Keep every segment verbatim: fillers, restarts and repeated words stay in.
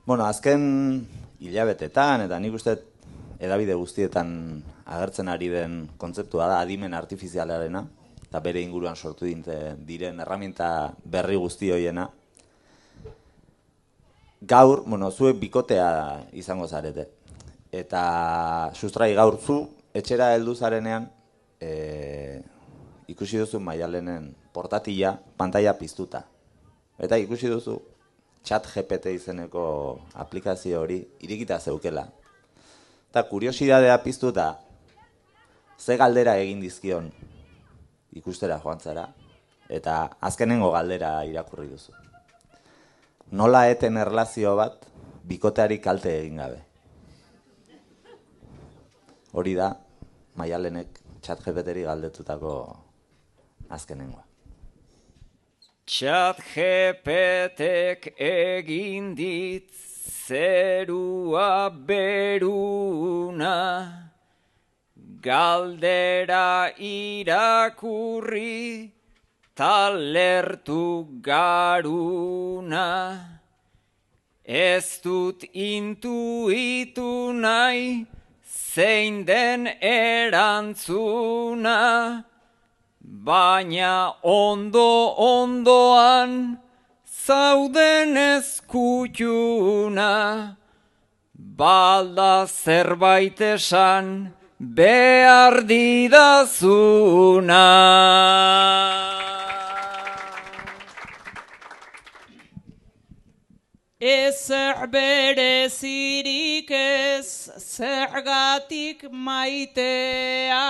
Bueno, azken hilabetetan, eta nik uste hedabide guztietan agertzen ari den kontzeptua da adimen artifizialarena, eta bere inguruan sortu diren erraminta berri guzti hoiena. Gaur, bueno, zuek bikotea izango zarete. Eta sustrai gaur zu, etxera heldu zarenean, e, ikusi duzu Maialenen portatila, pantaila piztuta. Eta ikusi duzu ChatGPT izeneko aplikazio hori irikita zeukela. Eta kuriosidadea piztuta, ze galdera egin dizkion ikustera joan zara, eta azkenengo galdera irakurri duzu. Nola eten erlazio bat bikoteari kalte egin gabe? Hori da Maialenek ChatGPTri galdetutako azkenengoa. ChatGPTek egin dit zerua beruna, galdera irakurri talertu garuna. Ez dut intuitu nahi zein den erantzuna, baina ondo-ondoan zauden ezkutuna. Balda zerbait esan behar didazuna. Ezer berezirik ez zergatik maitea,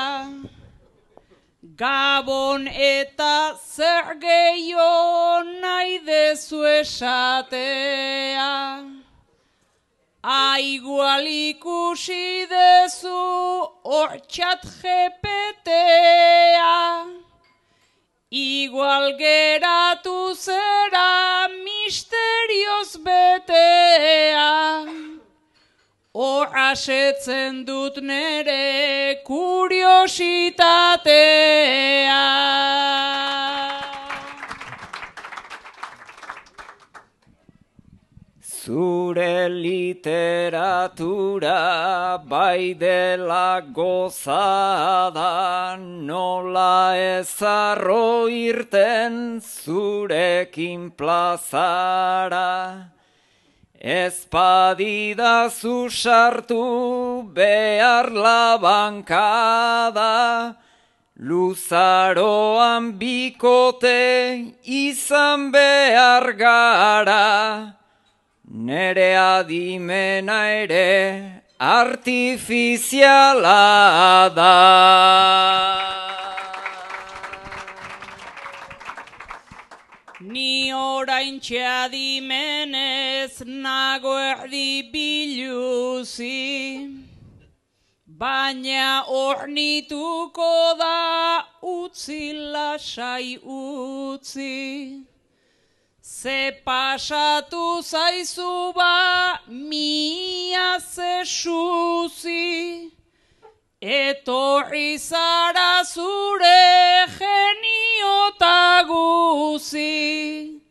Gabon eta zer gehiago nahi dezu esatea. Aigual ikusi dezu hor ChatGPTA, igual geratu zera misterioz betea. Hor asetzen dut nere kuriositatea. Zure literatura bai dela gozada, nola ez arro irten zurekin plazara. Ez badidazu sartu behar labankada, luzaroan bikote izan behar gara. Nere adimena ere artifiziala da. Ni oraintxe adimenez nago erdi biluzi, baina ornituko da utzi lasai utzi. Ze pasatu zaizu ba mia ze suzi, etorri zara zure genio ta guzi.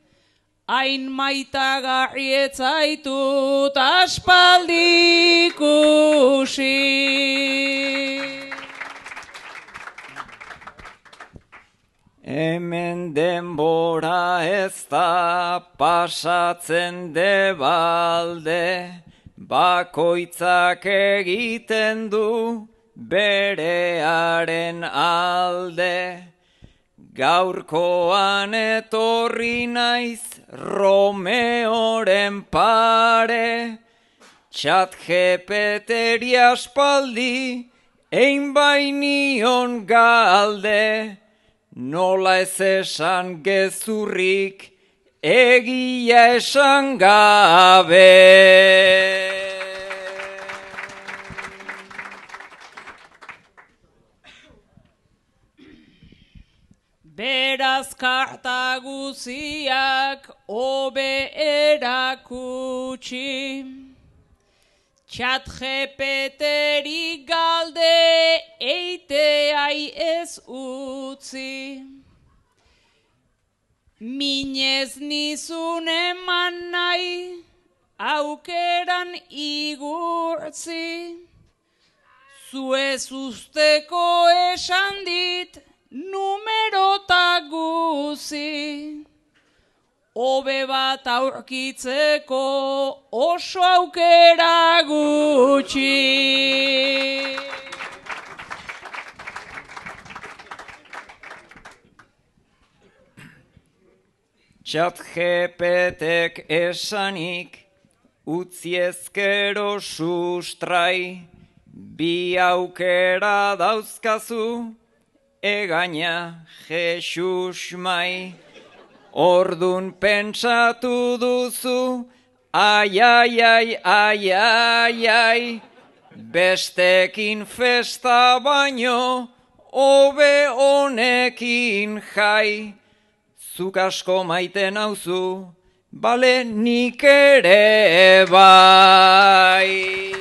Hain maitagarri ez zaitut aspaldi ikusi. Hemen denbora ez da pasatzen debalde, bakoitzak egiten du berearen alde. Gaurkoan etorri naiz Romeoren pare, ChatGPTri aspaldi ein bainion galde. Nola ez esan gezurrik egia esan gabe. Beraz karta guziak hobe erakutsi, ChatGPTri galde eiteai ez utzi. Minez nizun eman nahi aukeran igurtzi. Zuez usteko esan dit, numerota guzi. Hobe bat aurkitzeko oso aukera gutxi. Chat G P Tek esanik, utzi ezkero sustrai, bi aukera dauzkazu, egaina Jesus mai. Ordun pentsatu duzu, ai, ai, ai, ai, ai, ai, bestekin festa baino, hobe honekin jai. Zuk asko maite nauzu, bale nik ere bai.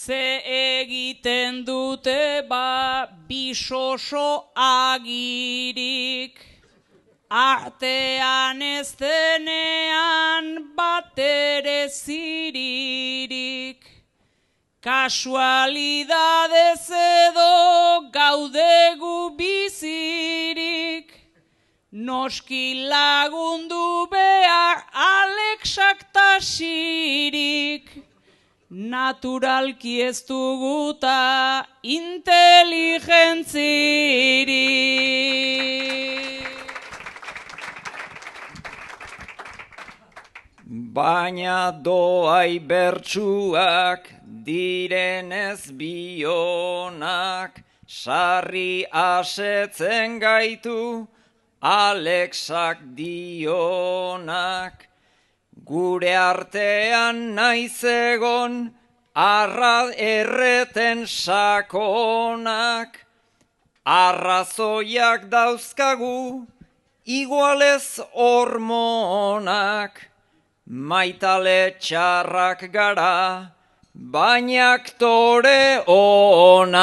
Ze egiten dute ba bisoso agirik, artean ez denean batere ziririk. Kasualidadez edo gaudegu bizirik, noski lagundu behar Alexak tasirik. Naturalki ez duguta inteligentzirik. Baina doai bertsuak direnez bionak, sarri asetzen gaitu Alexak dionak. Gure artean naiz egon, arra erreten sakonak, arrazoiak dauzkagu, igualez hormonak, maitale txarrak gara, baina aktore onak.